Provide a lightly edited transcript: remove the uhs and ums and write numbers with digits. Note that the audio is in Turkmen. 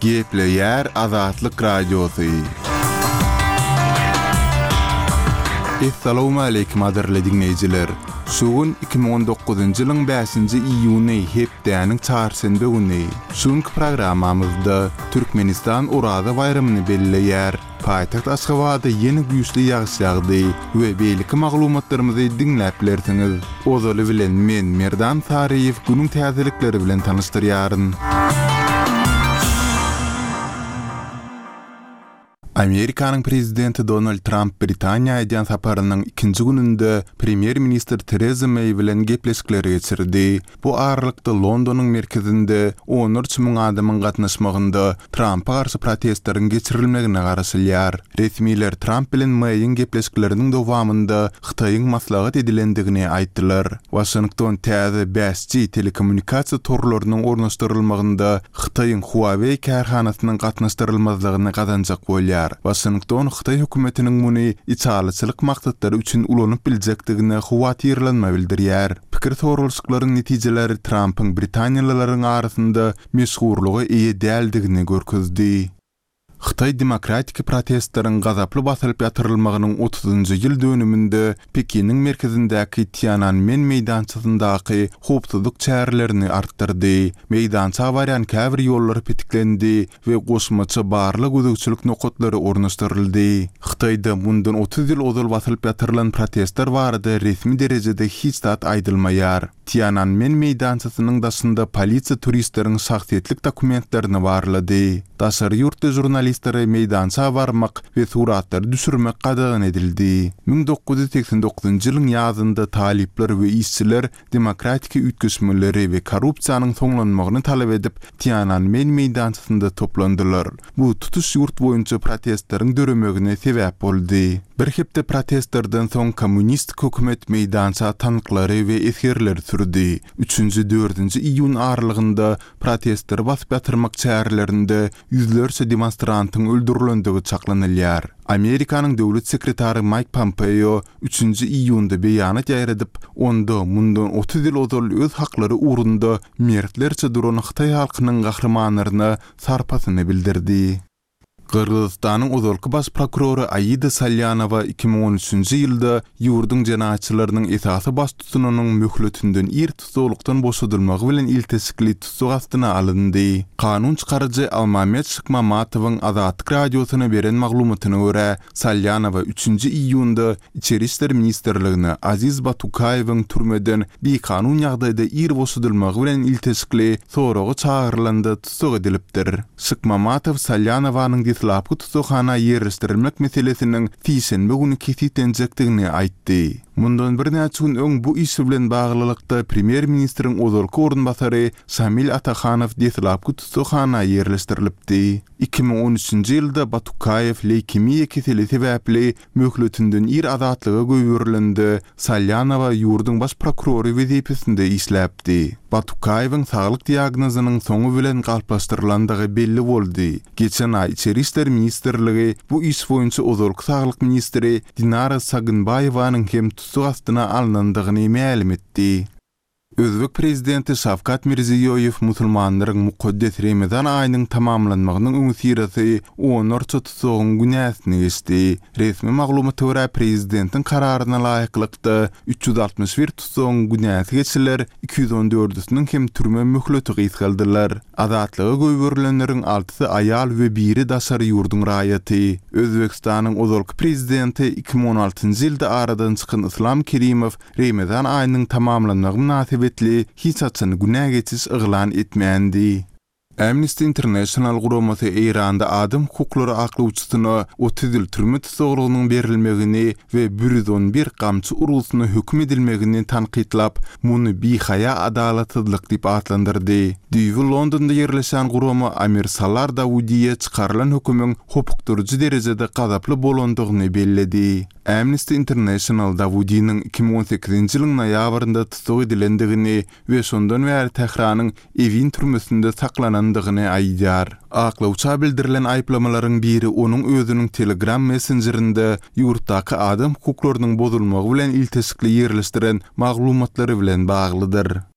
Gepleýär Azatlyk Radiosy. Essalawmaleýkim gadyrly diňleýjiler! Şu gün 2019-njy ýylyň bäşinji iýuny hepdäniň çarşenbe güni. Şu günki programmamyzda Türkmenistan Oraza baýramyny belleýär. Paýtagt Aşgabatda ýene güýçli ýagyş ýagdy we beýleki maglumatlarymyzy diňläp bilersiňiz. Ozaly bilen men Merdan Saryýew günüň täzelikleri bilen tanyşdyrýaryn. Amerikanyň prezidenti Donald Tramp Britaniýa edýän saparynyň ikinji gününde premýer-ministr Tereza Meý bilen gepleşikleri geçirdi. Bu aralykda Londonyň merkezinde onlarça müň adamyň gatnaşmagynda Trampa garşy protestleriň geçirilmegine garaşylýar. Resmiler Tramp bilen Meýiň gepleşikleriniň dowamynda Hytaýyň maslahat edilendigini aýtdylar. Waşington täze 5G telekommunikasiýa torlarynyň ornaşdyrylmagynda Hytaýyň Huawei kärhanasynyň gatnaşdyrylmazlygyny gazanjak bolýar. Waşington hytaý hökümetiniň muny içalyçylyk maksatlary üçin ulanyp biljekdigine howatyrlanma bildirýär. Pikir soralyşyklaryň netijeleri Trampyň britaniýalylaryň arasynda meşhurlyga eýe däldigini görkezdi. Hytaý demokratiki protestleriň gazaply basylyp ýatyrylmagynyň otuzynjy ýyl dönüminde Pekiniň merkezindäki Tiananmen meýdançasyndaky howpsuzlyk çärelerini artdyrdy. Meýdança barýan käbir ýollar petiklendi we goşmaça barlag-gözegçilik nokatlary ornaşdyryldy. Hytaýda mundan 30 ýyl ozal basylyp ýatyrylan protestler barada resmi derejede hiç zat aýdylmaýar. Tiananmen meýdançasynyň daşynda polisiýa turistleriň şahsyýetlik dokumentlerini barlady. Daşary ýurtly žurnalistlere meýdança barmak we suratlary düşürmek gadagan edildi. 1989-njy ýylyň ýazynda talyplar we işçiler demokratiki üýtgeşmeleri we korrupsiýanyň soňlanmagyny talap edip, Tiananmen meýdançasynda toplandylar. Bu tutuş ýurt boýunça protestleriň döremegine sebäp boldy. Bir hepde protestlerden soň kommunistik hökümet meýdança tanklary we esgerleri sürdi. Üçünji, dördünji iýun aralygynda protestleri basyp ýatyrmak çärelerinde ýüzlerçe demonstrantyň öldürilendigi çaklanylýar. Amerikanyň döwlet sekretary Maýk Pompeo üçünji iýunda beýanat ýaýradyp, onda mundan 30 ýyl ozal öz haklary ugrunda mertlerçe duran hytaý halkynyň gahrymanlaryna sarpasyny bildirdi. Gyrgyzystanyň ozalky baş prokurory Aida Salýanowa 2013-nji ýylda ýurduň jenaýatçylarynyň esasy baştutanynyň möhletinden ir tussaglykdan boşadylmagy bilen ilteşikli tussag astyna alyndy. Kanun çykaryjy Almamet Şykmamatowyň Azatlyk Radiosyna beren maglumatyna görä, Salýanowa üçünji iýunda Içeri işler ministrligine Aziz Batukaýewiň türmeden bikanun ýagdaýda ir boşadylmagy bilen ilteşikli soraga çagyrylanda tussag edilipdir. Şykmamatow Salýanowanyň deslapky tussaghana ýerleşdirilmek meselesiniň sişenbe güni kesgitlenjekdigini aýtdy. Mundan birnäçe gün öň bu iş bilen baglylykda premýer-ministriň ozalky orunbasary Şamil Atahanow deslapky tussaghana ýerleşdirilipdi. 2013-nji ýylda Batukaýew leýkemiýa keseli sebäpli möhletinden ir azatlyga goýberilende, Salýanowa ýurduň baş prokurory wezipesinde işläpdi. Batukaýewiň saglyk diagnozynyň soňy bilen galplaşdyrylandygy belli boldy. Geçen aý Içeri işler ministrligi bu iş boýunça ozalky saglyk ministri Dinara Sagynbaýewanyň hem tussag astyna alnandygyny mälim etdi. Özbek prezidenti Şawkat Mirziýoýew musulmanlaryň mukaddes Remezan aýynyň tamamlanmagynyň öňüsyrasy onlarça tussagyň günäsini geçdi. Resmi maglumata görä, prezidentiň kararyna laýyklykda, 361 tussagyň günäsi geçiler, 214-üsiniň hem türme möhleti gysgaldylar. Azatlyga goýberilenleriň altysy aýal we biri daşary ýurduň raýaty. Özbegistanyň ozalky prezidenti, 2016-njy ýylda aradan çykan Yslam Kerimow Remezan aýynyň tamamlanmagy mynasybetli hiç haçan günä geçiş yglan etmändi. Amnesty International guramasy Eýranda adam hukuklary aklawçysyna 30 ýyl türme tussaglygynyň berilmegini we 111 gamçy urgusyna höküm edilmegini tankytlap, muny bihaýa adalatsyzlyk diýip atlandyrdy. Düýbi Londonda ýerleşýän gurama Amir Salar Dawudiýe çykarylan hökümiň hopukdyryjy derejede gazaply bolandygyny belledi. Amnesty International Dawudiniň 2018-nji ýylyň noýabrynda tussag edilendigini we şondan bäri Tähranyň Ewin türmesinde saklanandygyny aýdýar. Aklawça bildirilen aýyplamalaryň biri onuň özüniň Telegram messenjerinde ýurtdaky adam hukuklarynyň bozulmagy bilen ilteşikli ýerleşdiren maglumatlary bilen baglydyr.